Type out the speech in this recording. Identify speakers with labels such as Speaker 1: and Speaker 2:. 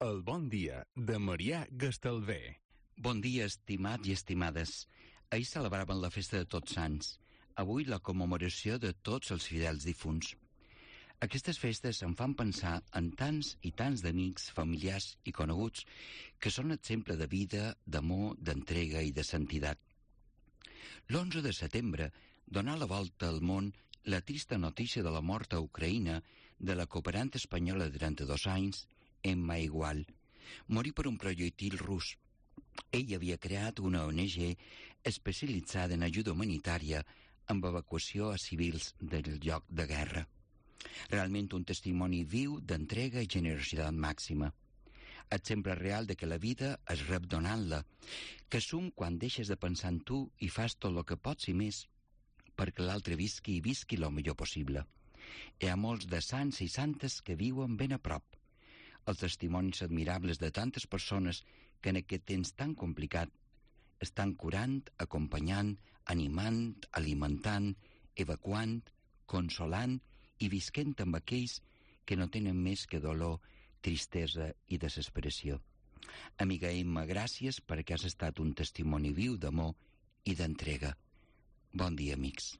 Speaker 1: El bon dia de Marià Gastalver.
Speaker 2: Bon dia, estimats i estimades. Ahir celebraven la festa de Tots Sants. Avui la commemoració de tots els fidels difunts. Aquestes festes em fan pensar en tants i tants d'amics, familiars i coneguts que són exemple de vida, d'amor, d'entrega i de santietat. L'11 de setembre donà la volta al món la trista notícia de la mort a Ucraïna de la cooperant espanyola de 32 anys, Emma Igual. Morí per un projectil rus. Ell havia creat una ONG especialitzada en ajuda humanitària amb evacuació a civils del lloc de guerra. Realment un testimoni viu d'entrega i generositat màxima. Exemple real de que la vida es rep donant-la, que sum quan deixes de pensar en tu i fas tot el que pots i més perquè l'altre visqui i visqui el millor possible. Hi ha molts de sants i santes que viuen ben a prop. Els testimonis admirables de tantes persones que en aquest temps tan complicat estan curant, acompanyant, animant, alimentant, evacuant, consolant i visquent amb aquells que no tenen més que dolor, tristesa i desesperació. Amiga Emma, gràcies perquè has estat un testimoni viu d'amor i d'entrega. Bon dia, amics.